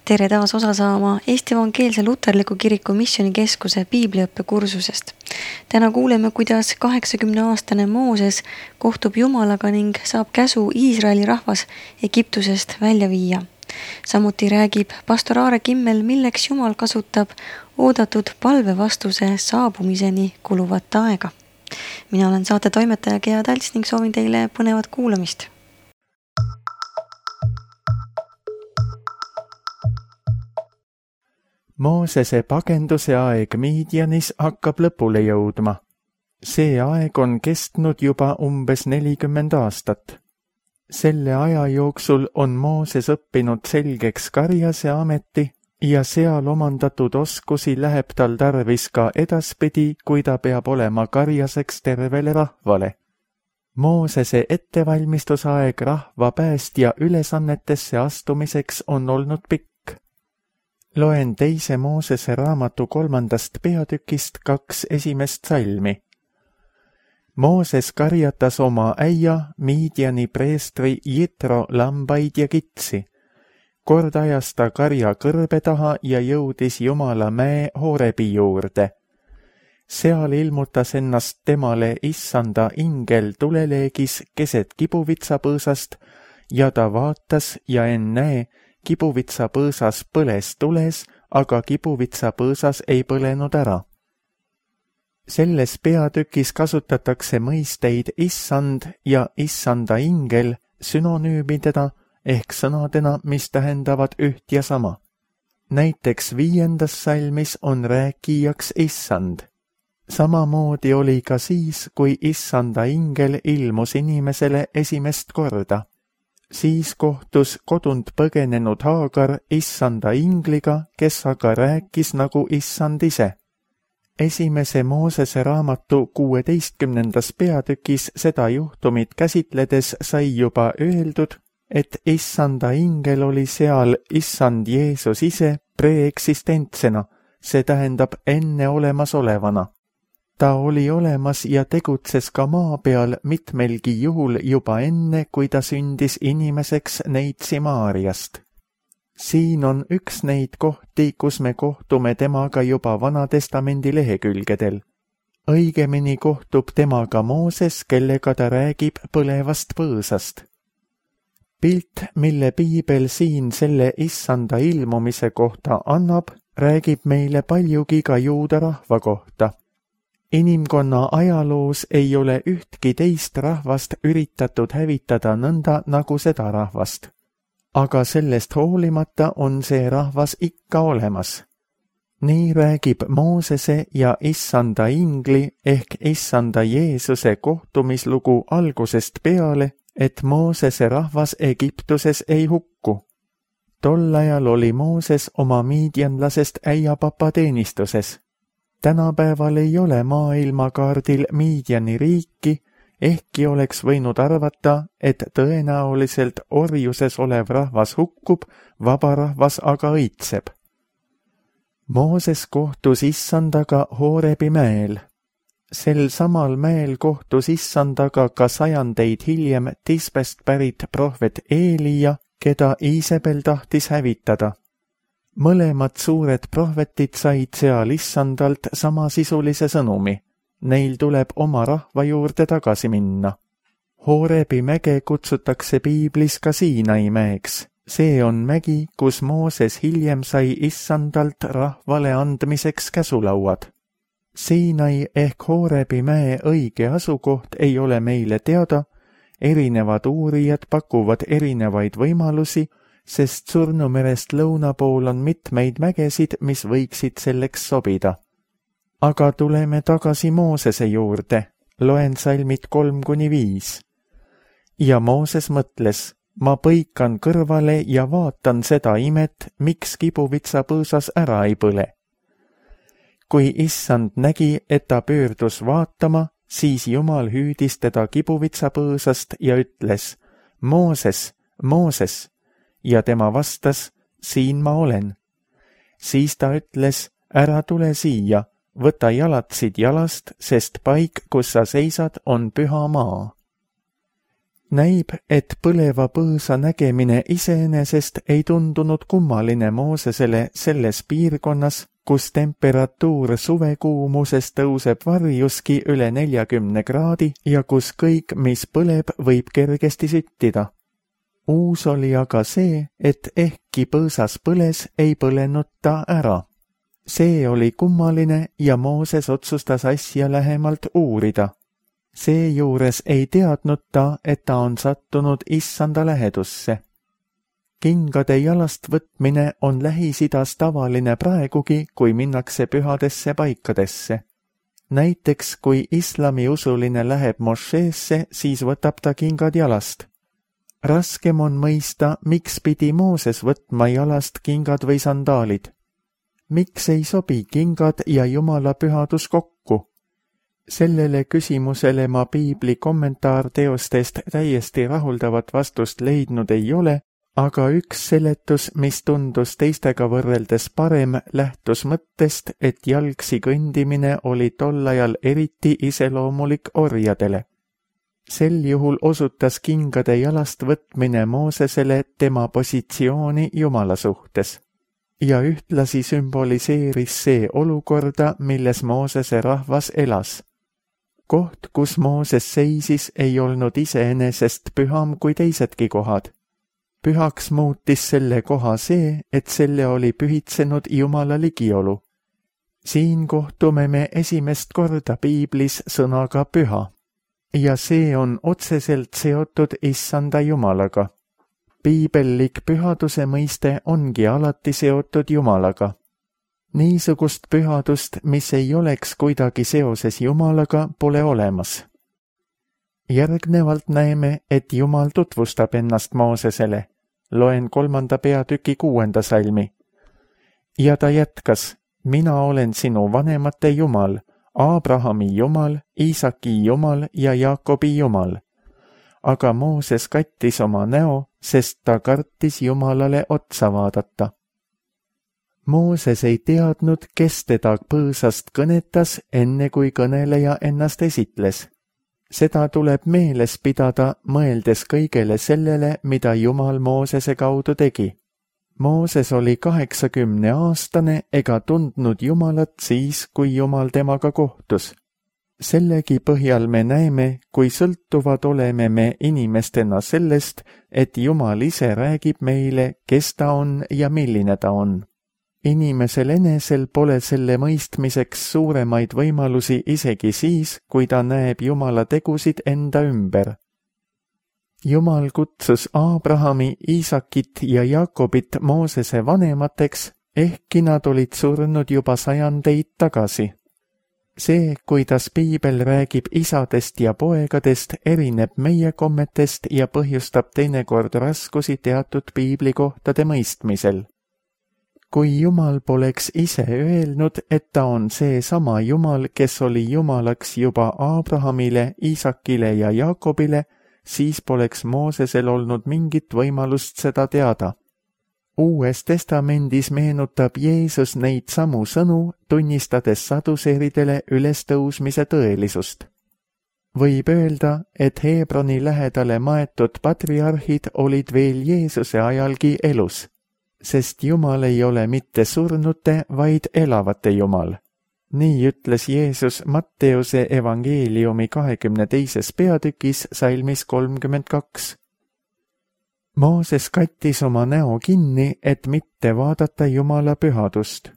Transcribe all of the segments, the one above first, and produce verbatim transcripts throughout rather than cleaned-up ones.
Tere taas osa saama Eesti Evangeelse Luterliku Kiriku Missioonikeskuse piibliõppekursusest. Täna kuuleme, kuidas kaheksakümneaastane Mooses kohtub Jumalaga ning saab käsu Iisraeli rahvas Egiptusest välja viia. Samuti räägib pastor Aare Kimmel, milleks Jumal kasutab oodatud palvevastuse saabumiseni kuluvat aega. Mina olen saate toimetaja Gea Talts ning soovin teile põnevat kuulamist. Moosese pagenduse aeg Midianis hakkab lõpule jõudma. See aeg on kestnud juba umbes nelikümmend aastat. Selle aja jooksul on Mooses õppinud selgeks karjase ameti ja seal omandatud oskusi läheb tal tarvis ka edaspidi, kui ta peab olema karjaseks tervele rahvale. Moosese ettevalmistusaeg rahva päästja ülesannetesse astumiseks on olnud pikk. Loen teise Moosese raamatu kolmandast peatükist kaks esimest salmi. Mooses karjatas oma äia Midiani preestri Jitro lambaid ja kitsi. Kord ajas ta karja kõrbe taha ja jõudis Jumala mäe Horebi juurde. Seal ilmutas ennast temale issanda ingel tuleleegis keset kibuvitsapõõsast ja ta vaatas ja ennäe, kibuvitsapõõsas põles tules, aga kibuvitsapõõsas ei põlenud ära. Selles peatükis kasutatakse mõisteid issand ja issanda ingel sünonüümidena ehk sõnadena, mis tähendavad üht ja sama. Näiteks viiendas salmis on rääkijaks issand. Samamoodi oli ka siis, kui issanda ingel ilmus inimesele esimest korda. Siis kohtus kodunt põgenenud Haagar issanda ingliga, kes aga rääkis nagu issand ise. Esimese Moosese raamatu kuueteistkümnendas peatükis seda juhtumit käsitledes sai juba öeldud, et issanda ingel oli seal issand Jeesus ise preeksistentsena, see tähendab enne olemasolevana. Ta oli olemas ja tegutses ka maa peal mitmelgi juhul juba enne, kui ta sündis inimeseks Neitsi Maariast. Siin on üks neid kohti, kus me kohtume temaga juba Vanatestamendi lehekülgedel. Õigemini kohtub temaga Mooses, kellega ta räägib põlevast põõsast. Pilt, mille piibel siin selle issanda ilmumise kohta annab, räägib meile paljugi ka juuda rahva kohta. Inimkonna ajaloos ei ole ühtki teist rahvast üritatud hävitada nõnda nagu seda rahvast. Aga sellest hoolimata on see rahvas ikka olemas. Nii räägib Moosese ja issanda ingli ehk issanda Jeesuse kohtumislugu algusest peale, et Moosese rahvas Egiptuses ei hukku. Tol ajal oli Mooses oma miidianlasest äiapapa teenistuses. Tänapäeval ei ole maailmakaardil Midiani riiki, ehkki oleks võinud arvata, et tõenäoliselt orjuses olev rahvas hukkub, vaba rahvas aga õitseb. Mooses kohtus issandaga Horebi mäel. Sel samal mäel kohtus issandaga ka sajandeid hiljem Tisbest pärit prohvet Eelia, keda Iisabel tahtis hävitada. Mõlemad suured prohvetid said seal issandalt samasisulise sõnumi. Neil tuleb oma rahva juurde tagasi minna. Horebi mäge kutsutakse piiblis ka Siinai mäeks. See on mägi, kus Mooses hiljem sai issandalt rahvale andmiseks käsulauad. Siinai ehk Horebi mäe õige asukoht ei ole meile teada, erinevad uurijad pakuvad erinevaid võimalusi, sest Surnumerest lõuna pool on mitmeid mägesid, mis võiksid selleks sobida. Aga tuleme tagasi Moosese juurde, loen salmid kolm kuni viis. Ja Mooses mõtles, ma põikan kõrvale ja vaatan seda imet, miks kibuvitsapõõsas ära ei põle. Kui issand nägi, et ta pöördus vaatama, siis Jumal hüüdis teda kibuvitsapõõsast ja ütles, Mooses, Mooses, ja tema vastas, siin ma olen. Siis ta ütles, ära tule siia, võta jalatsid jalast, sest paik, kus sa seisad, on püha maa. Näib, et põleva põõsa nägemine iseenesest ei tundunud kummaline Moosesele selles piirkonnas, kus temperatuur suvekuumuses tõuseb varjuski üle neljakümne kraadi ja kus kõik, mis põleb, võib kergesti süttida. Uus oli aga see, et ehkki põõsas põles, ei põlenud ta ära. See oli kummaline ja Mooses otsustas asja lähemalt uurida. Seejuures ei teadnud ta, et ta on sattunud issanda lähedusse. Kingade jalast võtmine on Lähis-Idas tavaline praegugi, kui minnakse pühadesse paikadesse. Näiteks, kui islamiusuline läheb mošeesse, siis võtab ta kingad jalast. Raskem on mõista, miks pidi Mooses võtma jalast kingad või sandaalid. Miks ei sobi kingad ja Jumala pühadus kokku? Sellele küsimusele ma piibli kommentaarteostest täiesti rahuldavat vastust leidnud ei ole, aga üks seletus, mis tundus teistega võrreldes parem, lähtus mõttest, et jalgsi kõndimine oli tol ajal eriti iseloomulik orjadele. Sel juhul osutas kingade jalast võtmine Moosesele tema positsiooni Jumala suhtes. Ja ühtlasi sümboliseeris see olukorda, milles Moosese rahvas elas. Koht, kus Mooses seisis, ei olnud iseenesest püham kui teisedki kohad. Pühaks muutis selle koha see, et selle oli pühitsenud Jumala ligiolu. Siin kohtume me esimest korda piiblis sõnaga püha. Ja see on otseselt seotud issanda Jumalaga. Piibellik pühaduse mõiste ongi alati seotud Jumalaga. Niisugust pühadust, mis ei oleks kuidagi seoses Jumalaga, pole olemas. Järgnevalt näeme, et Jumal tutvustab ennast Moosesele. Loen kolmanda peatüki kuuenda salmi. Ja ta jätkas, mina olen sinu vanemate Jumal, Abrahami Jumal, Iisaki Jumal ja Jaakobi Jumal. Aga Mooses kattis oma näo, sest ta kartis Jumalale otsa vaadata. Mooses ei teadnud, kes teda põõsast kõnetas, enne kui kõneleja ennast esitles. Seda tuleb meeles pidada, mõeldes kõigele sellele, mida Jumal Moosese kaudu tegi. Mooses oli kaheksakümne aastane ega tundnud Jumalat siis, kui Jumal temaga kohtus. Sellegi põhjal me näeme, kui sõltuvad oleme me inimestena sellest, et Jumal ise räägib meile, kes ta on ja milline ta on. Inimesel enesel pole selle mõistmiseks suuremaid võimalusi isegi siis, kui ta näeb Jumala tegusid enda ümber. Jumal kutsus Abrahami, Iisakit ja Jaakobit Moosese vanemateks, ehkki nad olid surnud juba sajandeid tagasi. See, kuidas piibel räägib isadest ja poegadest, erineb meie kommetest ja põhjustab teinekord raskusi teatud piiblikohtade mõistmisel. Kui Jumal poleks ise öelnud, et ta on see sama Jumal, kes oli Jumalaks juba Abrahamile, Iisakile ja Jaakobile, siis poleks Moosesel olnud mingit võimalust seda teada. Uues testamendis meenutab Jeesus neid samu sõnu, tunnistades saduseeridele ülestõusmise tõelisust. Võib öelda, et Hebroni lähedale maetud patriarhid olid veel Jeesuse ajalgi elus, sest Jumal ei ole mitte surnute, vaid elavate Jumal. Nii ütles Jeesus Matteuse evangeeliumi kahekümne teises peatükis salmis kolmkümmend kaks. Mooses kattis oma näo kinni, et mitte vaadata Jumala pühadust.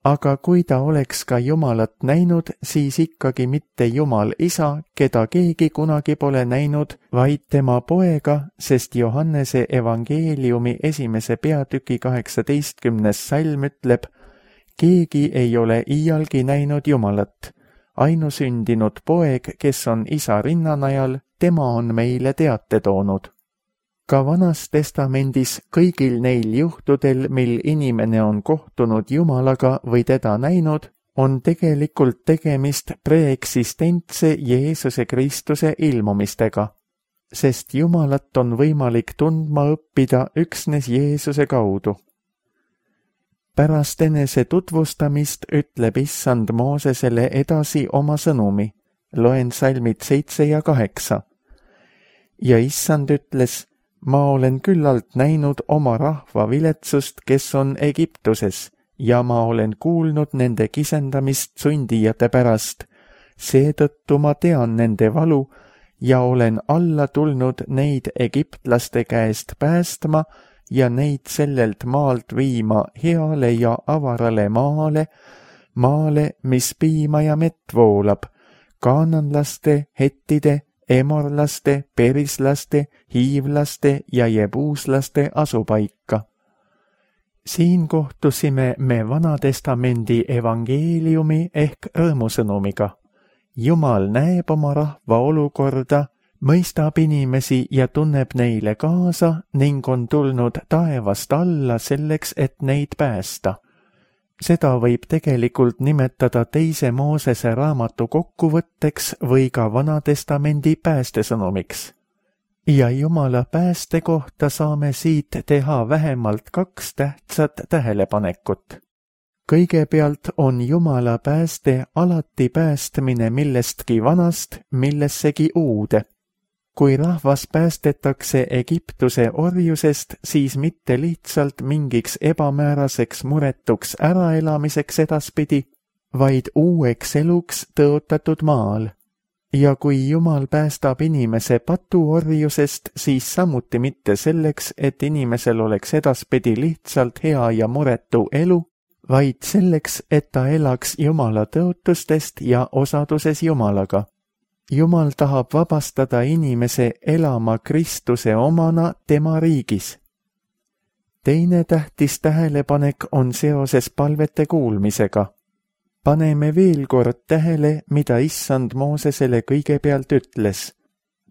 Aga kui ta oleks ka Jumalat näinud, siis ikkagi mitte Jumal isa, keda keegi kunagi pole näinud, vaid tema poega, sest Johannese evangeeliumi esimese peatüki kaheksateistkümnes salm ütleb, keegi ei ole iialgi näinud Jumalat. Ainusündinud poeg, kes on isa rinnanajal, tema on meile teate toonud. Ka Vanas testamendis kõigil neil juhtudel, mil inimene on kohtunud Jumalaga või teda näinud, on tegelikult tegemist preeksistentse Jeesuse Kristuse ilmumistega, sest Jumalat on võimalik tundma õppida üksnes Jeesuse kaudu. Pärast enese tutvustamist ütleb issand Moosesele edasi oma sõnumi. Loen salmid seitse ja kaheksa. ja issand ütles, ma olen küllalt näinud oma rahva viletsust, kes on Egiptuses, ja ma olen kuulnud nende kisendamist sundijate pärast. Seetõttu ma tean nende valu ja olen alla tulnud neid egiptlaste käest päästma ja neid sellelt maalt viima heale ja avarale maale, maale, mis piima ja mett voolab, kaananlaste, hettide, emorlaste, perislaste, hiivlaste ja jebuuslaste asupaika. Siin kohtusime me Vanatestamendi evangeeliumi ehk rõõmusõnumiga. Jumal näeb oma rahva olukorda, mõistab inimesi ja tunneb neile kaasa ning on tulnud taevast alla selleks, et neid päästa. Seda võib tegelikult nimetada teise Moosese raamatu kokkuvõtteks või ka Vanatestamendi päästesõnumiks. Ja Jumala pääste kohta saame siit teha vähemalt kaks tähtsat tähelepanekut. Kõigepealt on Jumala pääste alati päästmine millestki vanast millessegi uude. Kui rahvas päästetakse Egiptuse orjusest, siis mitte lihtsalt mingiks ebamääraseks muretuks äraelamiseks edaspidi, vaid uueks eluks tõotatud maal. Ja kui Jumal päästab inimese patuorjusest, siis samuti mitte selleks, et inimesel oleks edaspidi lihtsalt hea ja muretu elu, vaid selleks, et ta elaks Jumala tõotustest ja osaduses Jumalaga. Jumal tahab vabastada inimese elama Kristuse omana tema riigis. Teine tähtis tähelepanek on seoses palvete kuulmisega. Paneme veel kord tähele, mida issand Moosesele kõigepealt ütles.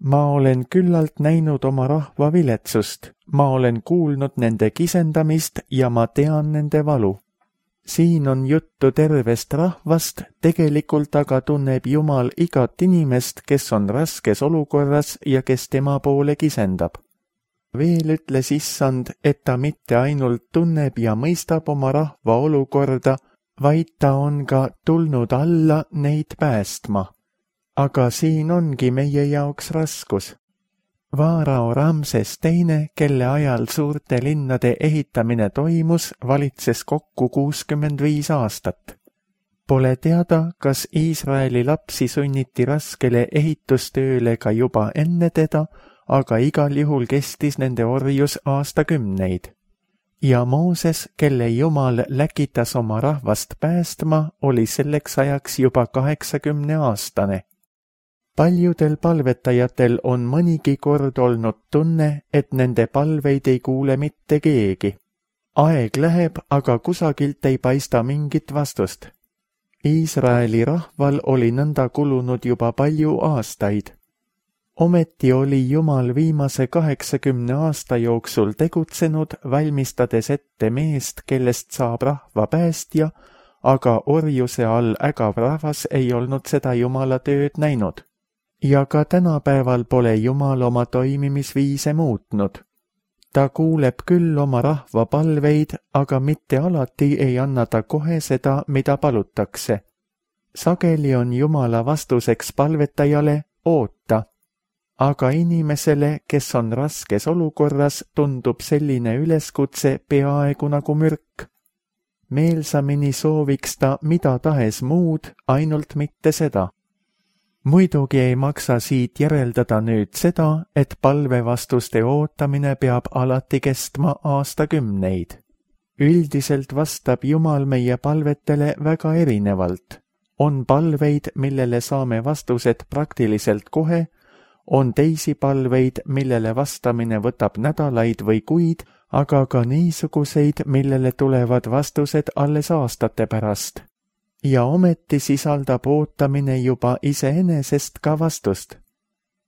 Ma olen küllalt näinud oma rahva viletsust, ma olen kuulnud nende kisendamist ja ma tean nende valu. Siin on juttu tervest rahvast, tegelikult aga tunneb Jumal igat inimest, kes on raskes olukorras ja kes tema poole kisendab. Veel ütles issand, et ta mitte ainult tunneb ja mõistab oma rahva olukorda, vaid ta on ka tulnud alla neid päästma. Aga siin ongi meie jaoks raskus. Vaarao Ramses teine, kelle ajal suurte linnade ehitamine toimus, valitses kokku kuuskümmend viis aastat. Pole teada, kas Iisraeli lapsi sunniti raskele ehitustööle ka juba enne teda, aga igal juhul kestis nende orjus aastakümneid. Ja Mooses, kelle Jumal läkitas oma rahvast päästma, oli selleks ajaks juba kaheksakümne aastane. Paljudel palvetajatel on mõnigi kord olnud tunne, et nende palveid ei kuule mitte keegi. Aeg läheb, aga kusagilt ei paista mingit vastust. Iisraeli rahval oli nõnda kulunud juba palju aastaid. Ometi oli Jumal viimase kaheksakümne aasta jooksul tegutsenud, valmistades ette meest, kellest saab rahva päästja, aga orjuse all ägav rahvas ei olnud seda Jumala tööd näinud. Ja ka tänapäeval pole Jumal oma toimimisviise muutnud. Ta kuuleb küll oma rahva palveid, aga mitte alati ei anna ta kohe seda, mida palutakse. Sageli on Jumala vastuseks palvetajale oota, aga inimesele, kes on raskes olukorras, tundub selline üleskutse peaaegu nagu mürk. Meelsamini sooviks ta mida tahes muud, ainult mitte seda. Muidugi ei maksa siit järeldada nüüd seda, et palvevastuste ootamine peab alati kestma aastakümneid. Üldiselt vastab Jumal meie palvetele väga erinevalt. On palveid, millele saame vastused praktiliselt kohe, on teisi palveid, millele vastamine võtab nädalaid või kuid, aga ka niisuguseid, millele tulevad vastused alles aastate pärast. Ja ometi sisaldab ootamine juba iseenesest ka vastust.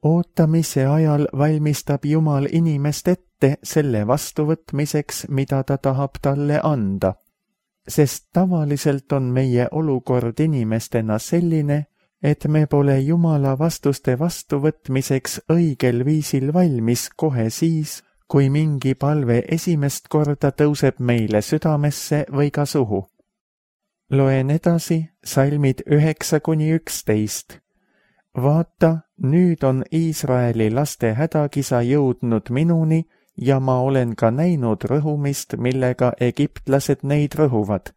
Ootamise ajal valmistab Jumal inimest ette selle vastuvõtmiseks, mida ta tahab talle anda. Sest tavaliselt on meie olukord inimestena selline, et me pole Jumala vastuste vastuvõtmiseks õigel viisil valmis kohe siis, kui mingi palve esimest korda tõuseb meile südamesse või ka suhu. Loen edasi salmid üheksa kuni üksteist. vaata, nüüd on Iisraeli laste hädakisa jõudnud minuni ja ma olen ka näinud rõhumist, millega egiptlased neid rõhuvad.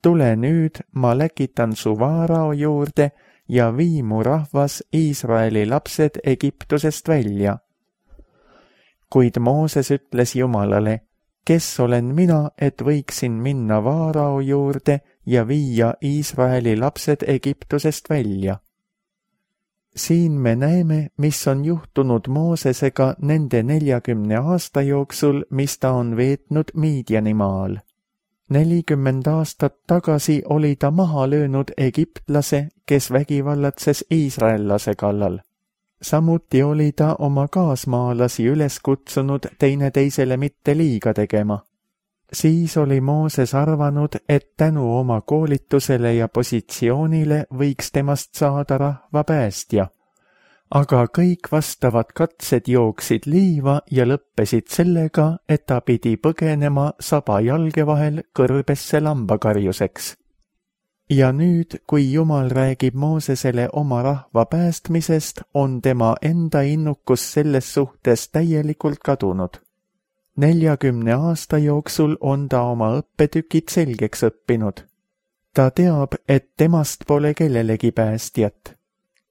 Tule nüüd, ma läkitan su vaarao juurde ja vii mu rahvas Iisraeli lapsed Egiptusest välja. Kuid Mooses ütles Jumalale, kes olen mina, et võiksin minna vaarao juurde ja viia Iisraeli lapsed Egiptusest välja. Siin me näeme, mis on juhtunud Moosesega nende neljakümne aasta jooksul, mis ta on veetnud Miidianimaal. nelikümmend aastat tagasi oli ta maha löönud egiptlase, kes vägivallatses iisraellase kallal. Samuti oli ta oma kaasmaalasi üles kutsunud teineteisele mitte liiga tegema. Siis oli Mooses arvanud, et tänu oma koolitusele ja positsioonile võiks temast saada rahva päästja. Aga kõik vastavad katsed jooksid liiva ja lõppesid sellega, et ta pidi põgenema saba jalge vahel kõrbesse lambakarjuseks. Ja nüüd, kui Jumal räägib Moosesele oma rahva päästmisest, on tema enda innukus selles suhtes täielikult kadunud. neljakümne aasta jooksul on ta oma õppetükid selgeks õppinud. Ta teab, et temast pole kellelegi päästjat.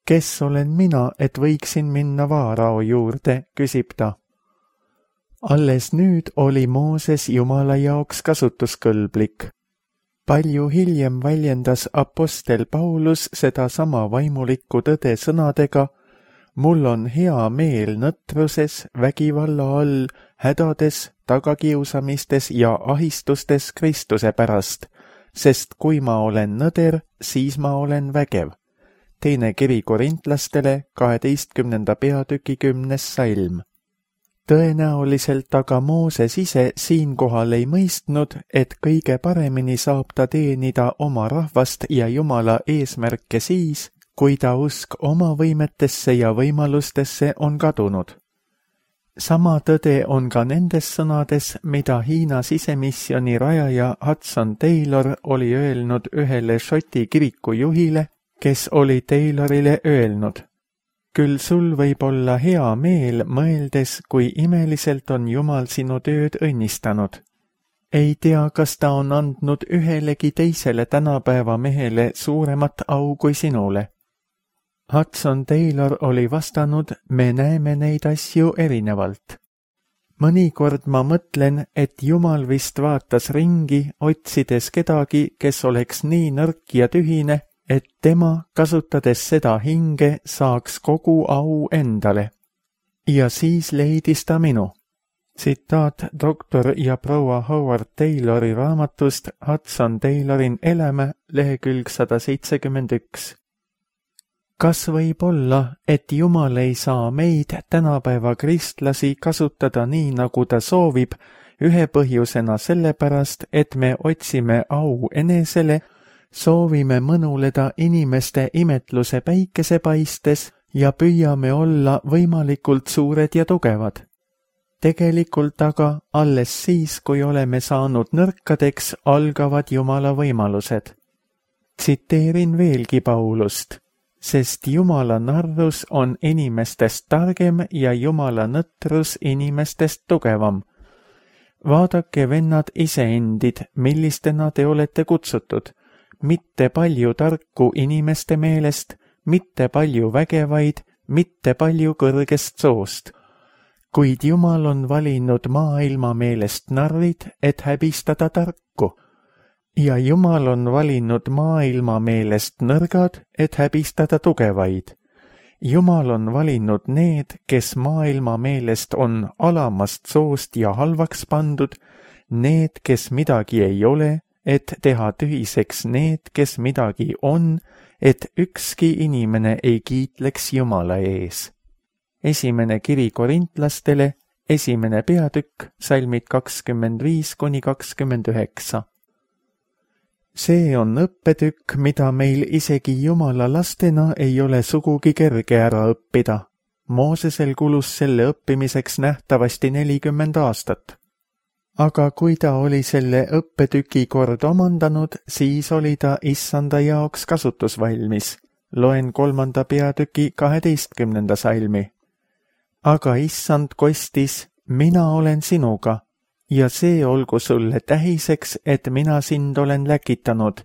Kes olen mina, et võiksin minna vaarao juurde, küsib ta. Alles nüüd oli Mooses Jumala jaoks kasutuskõlblik. Palju hiljem väljendas apostel Paulus seda sama vaimulikku tõde sõnadega, mul on hea meel nõtruses, vägivalla all, hädades, tagakiusamistes ja ahistustes Kristuse pärast, sest kui ma olen nõder, siis ma olen vägev. Teine kiri korintlastele, kaheteistkümnenda peatüki kümnes salm. Tõenäoliselt aga Mooses ise siinkohal ei mõistnud, et kõige paremini saab ta teenida oma rahvast ja Jumala eesmärke siis, kui ta usk oma võimetesse ja võimalustesse on kadunud. Sama tõde on ka nendes sõnades, mida Hiina sisemisjoni rajaja Hudson Taylor oli öelnud ühele Šoti kiriku juhile, kes oli Taylorile öelnud. Küll sul võib olla hea meel mõeldes, kui imeliselt on Jumal sinu tööd õnnistanud. Ei tea, kas ta on andnud ühelegi teisele tänapäeva mehele suuremat au kui sinule. Hudson Taylor oli vastanud, me näeme neid asju erinevalt. Mõnikord ma mõtlen, et Jumal vist vaatas ringi, otsides kedagi, kes oleks nii nõrk ja tühine, et tema, kasutades seda hinge, saaks kogu au endale. Ja siis leidis ta minu. Tsitaat doktor ja proua Howard Taylori raamatust Hudson Taylorin elämä, lehekülg sada seitsekümmend üks. Kas võib olla, et Jumal ei saa meid tänapäeva kristlasi kasutada nii, nagu ta soovib, ühe põhjusena sellepärast, et me otsime au enesele, soovime mõnuleda inimeste imetluse päikese paistes ja püüame olla võimalikult suured ja tugevad. Tegelikult aga alles siis, kui oleme saanud nõrkadeks, algavad Jumala võimalused. Tsiteerin veelgi Paulust, sest Jumala narrus on inimestest targem ja Jumala nõtrus inimestest tugevam. Vaadake, vennad iseendid, millistena te olete kutsutud. Mitte palju tarku inimeste meelest, mitte palju vägevaid, mitte palju kõrgest soost. Kuid Jumal on valinud maailma meelest narrid, et häbistada tarku. Ja Jumal on valinud maailma meelest nõrgad, et häbistada tugevaid. Jumal on valinud need, kes maailma meelest on alamast soost ja halvaks pandud, need, kes midagi ei ole, et teha tühiseks need, kes midagi on, et ükski inimene ei kiitleks Jumala ees. Esimene kiri korintlastele, esimene peatükk, salmid kakskümmend viis kuni kakskümmend üheksa. See on õppetükk, mida meil isegi Jumala lastena ei ole sugugi kerge ära õppida. Moosesel kulus selle õppimiseks nähtavasti nelikümmend aastat. Aga kui ta oli selle õppetüki kord omandanud, siis oli ta issanda jaoks kasutusvalmis. loen kolmanda peatüki kaheteistkümnenda salmi. Aga issand kostis, mina olen sinuga ja see olgu sulle tähiseks, et mina sind olen läkitanud.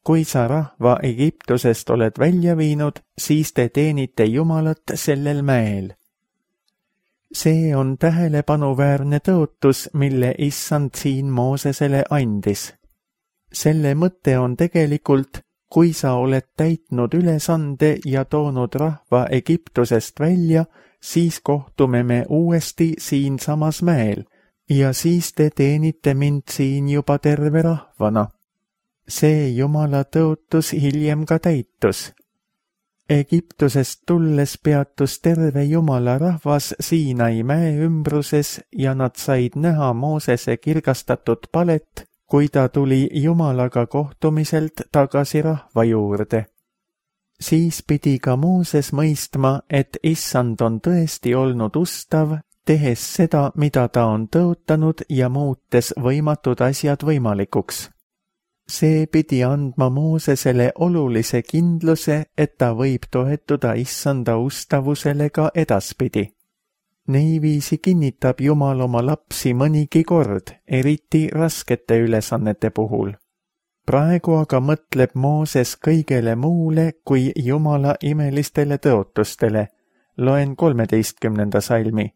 Kui sa rahva Egiptusest oled välja viinud, siis te teenite Jumalat sellel mäel. See on tähelepanuväärne tõotus, mille issand siin Moosesele andis. Selle mõte on tegelikult, kui sa oled täitnud ülesande ja toonud rahva Egiptusest välja, siis kohtume me uuesti siin samas mäel ja siis te teenite mind siin juba terve rahvana. See Jumala tõotus hiljem ka täitus. Egiptusest tulles peatus terve Jumala rahvas Siinai mäe ümbruses ja nad said näha Moosese kirgastatud palet, kui ta tuli Jumalaga kohtumiselt tagasi rahva juurde. Siis pidi ka Mooses mõistma, et issand on tõesti olnud ustav, tehes seda, mida ta on tõotanud ja muutes võimatud asjad võimalikuks. See pidi andma Moosesele olulise kindluse, et ta võib toetuda issanda ustavusele ka edaspidi. Niiviisi kinnitab Jumal oma lapsi mõnigi kord, eriti raskete ülesannete puhul. Praegu aga mõtleb Mooses kõigele muule kui Jumala imelistele tõotustele. Loen kolmeteistkümnenda salmi.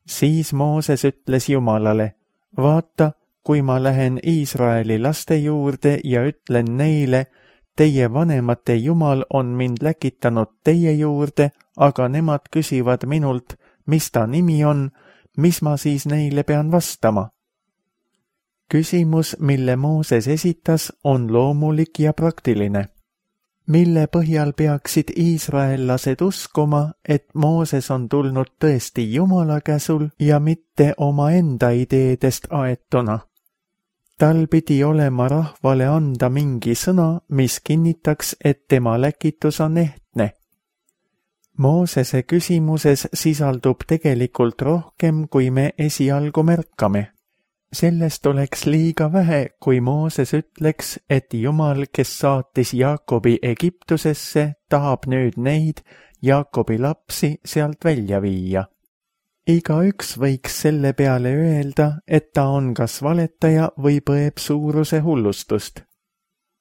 Siis Mooses ütles Jumalale, vaata, kui ma lähen Iisraeli laste juurde ja ütlen neile, teie vanemate Jumal on mind läkitanud teie juurde, aga nemad küsivad minult, mis ta nimi on, mis ma siis neile pean vastama? Küsimus, mille Mooses esitas, on loomulik ja praktiline. Mille põhjal peaksid iisraellased uskuma, et Mooses on tulnud tõesti Jumala käsul ja mitte omaenda ideedest aetuna? Tal pidi olema rahvale anda mingi sõna, mis kinnitaks, et tema läkitus on ehtne. Moosese küsimuses sisaldub tegelikult rohkem, kui me esialgu märkame. Sellest oleks liiga vähe, kui Mooses ütleks, et Jumal, kes saatis Jaakobi Egiptusesse, tahab nüüd neid, Jaakobi lapsi, sealt välja viia. Igaüks võiks selle peale öelda, et ta on kas valetaja või põeb suuruse hullustust.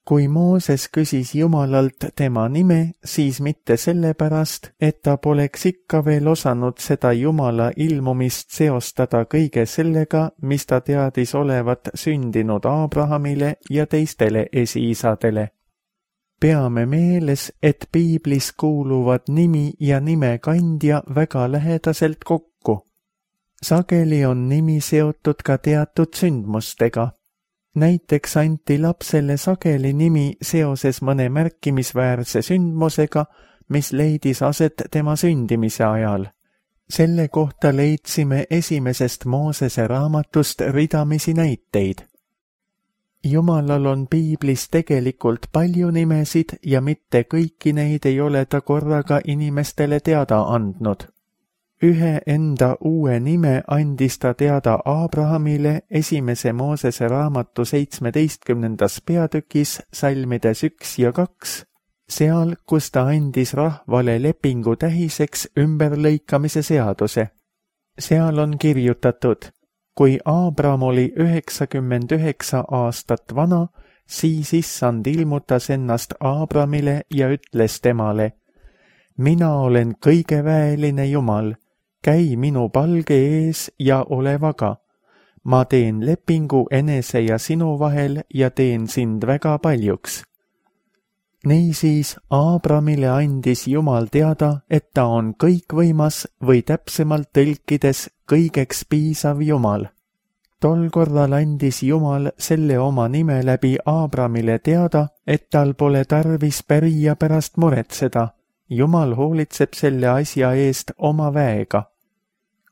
Kui Mooses küsis Jumalalt tema nime, siis mitte sellepärast, et ta poleks ikka veel osanud seda Jumala ilmumist seostada kõige sellega, mis ta teadis olevat sündinud Abrahamile ja teistele esiisadele. Peame meeles, et piiblis kuuluvad nimi ja nime kandja väga lähedaselt kokku. Sageli on nimi seotud ka teatud sündmustega. Näiteks anti lapsele sageli nimi seoses mõne märkimisväärse sündmusega, mis leidis aset tema sündimise ajal. Selle kohta leidsime esimesest Moosese raamatust ridamisi näiteid. Jumalal on piiblis tegelikult palju nimesid ja mitte kõiki neid ei ole ta korraga inimestele teada andnud. Ühe enda uue nime andis ta teada Abrahamile esimese Moosese raamatu seitsmeteistkümnendas peatükis salmides üks ja kaks, seal, kus ta andis rahvale lepingu tähiseks ümberlõikamise seaduse. Seal on kirjutatud, kui Abram oli üheksakümmend üheksa aastat vana, siis issand ilmutas ennast Abramile ja ütles temale, mina olen kõigeväeline Jumal, käi minu palge ees ja ole vaga. Ma teen lepingu enese ja sinu vahel ja teen sind väga paljuks. Niisiis Abramile andis Jumal teada, et ta on kõikvõimas või täpsemalt tõlkides kõigeks piisav Jumal. Tol korral andis Jumal selle oma nime läbi Abramile teada, et tal pole tarvis pärija pärast muretseda. Jumal hoolitseb selle asja eest oma väega.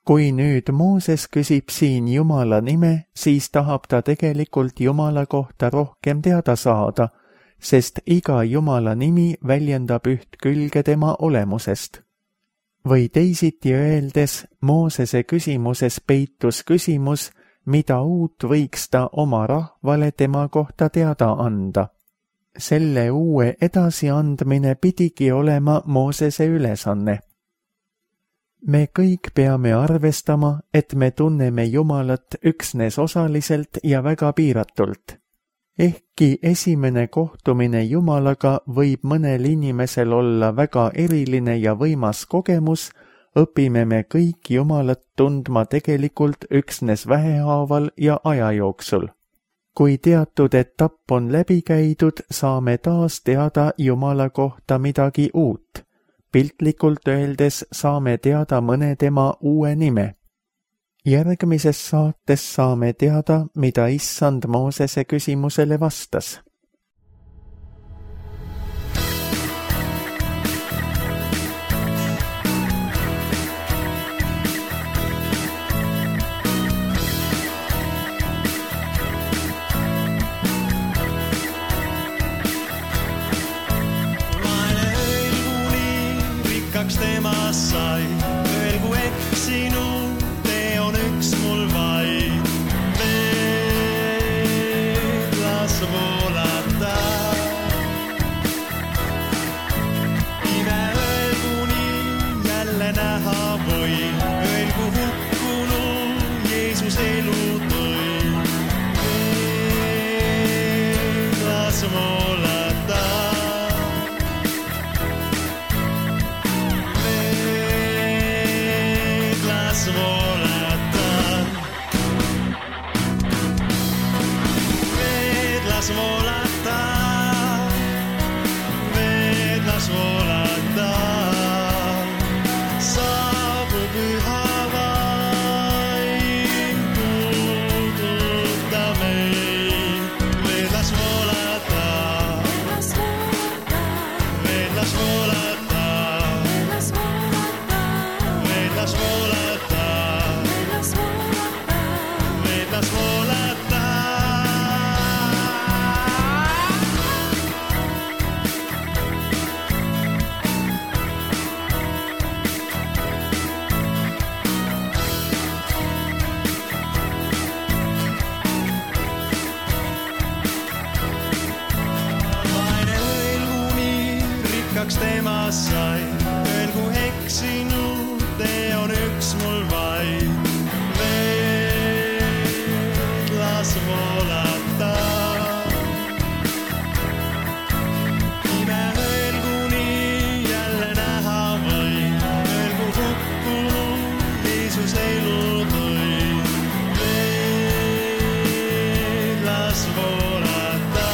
Kui nüüd Mooses küsib siin Jumala nime, siis tahab ta tegelikult Jumala kohta rohkem teada saada, sest iga Jumala nimi väljendab üht külge tema olemusest. Või teisiti öeldes, Moosese küsimuses peitus küsimus, mida uut võiks ta oma rahvale tema kohta teada anda. Selle uue edasiandmine pidigi olema Moosese ülesanne. Me kõik peame arvestama, et me tunneme Jumalat üksnes osaliselt ja väga piiratult. Ehkki esimene kohtumine Jumalaga võib mõnel inimesel olla väga eriline ja võimas kogemus, õpime me kõik Jumalat tundma tegelikult üksnes vähehaaval ja aja jooksul. Kui teatud etapp on läbi käidud, saame taas teada Jumala kohta midagi uut. Piltlikult öeldes saame teada mõne tema uue nime. Järgmises saates saame teada, mida Issand Moosese küsimusele vastas. Temast sai, öelgu eksinu, tee on üks mul vaid. Veed las voolata. Ime öelgu nii, jälle näha või, öelgu hukkunu, Jeesus elu tõi. Veed las voolata. Las volata, veed las volata, saabub üha vaim, puuduta meid. Veed las volata, veed las volata, veed las volata, veed las volata. Temast sai, öelgu eksinu, tee on üks mul vaid. Veed las voolata. Ime öelgu nii, jälle näha või, öelgu hukkunu, Jeesus elu tõi. Veed las voolata.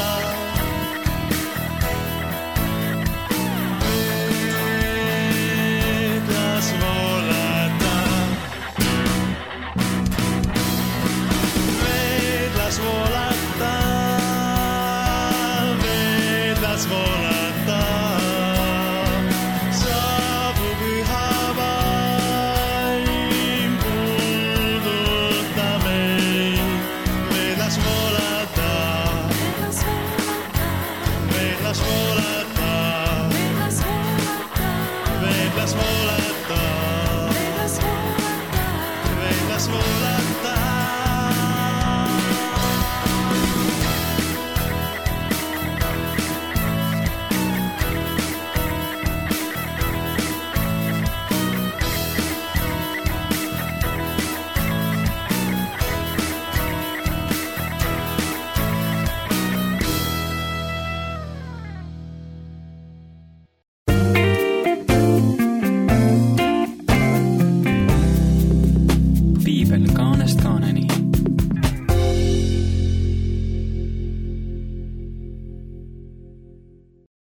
Kaanest kaaneni.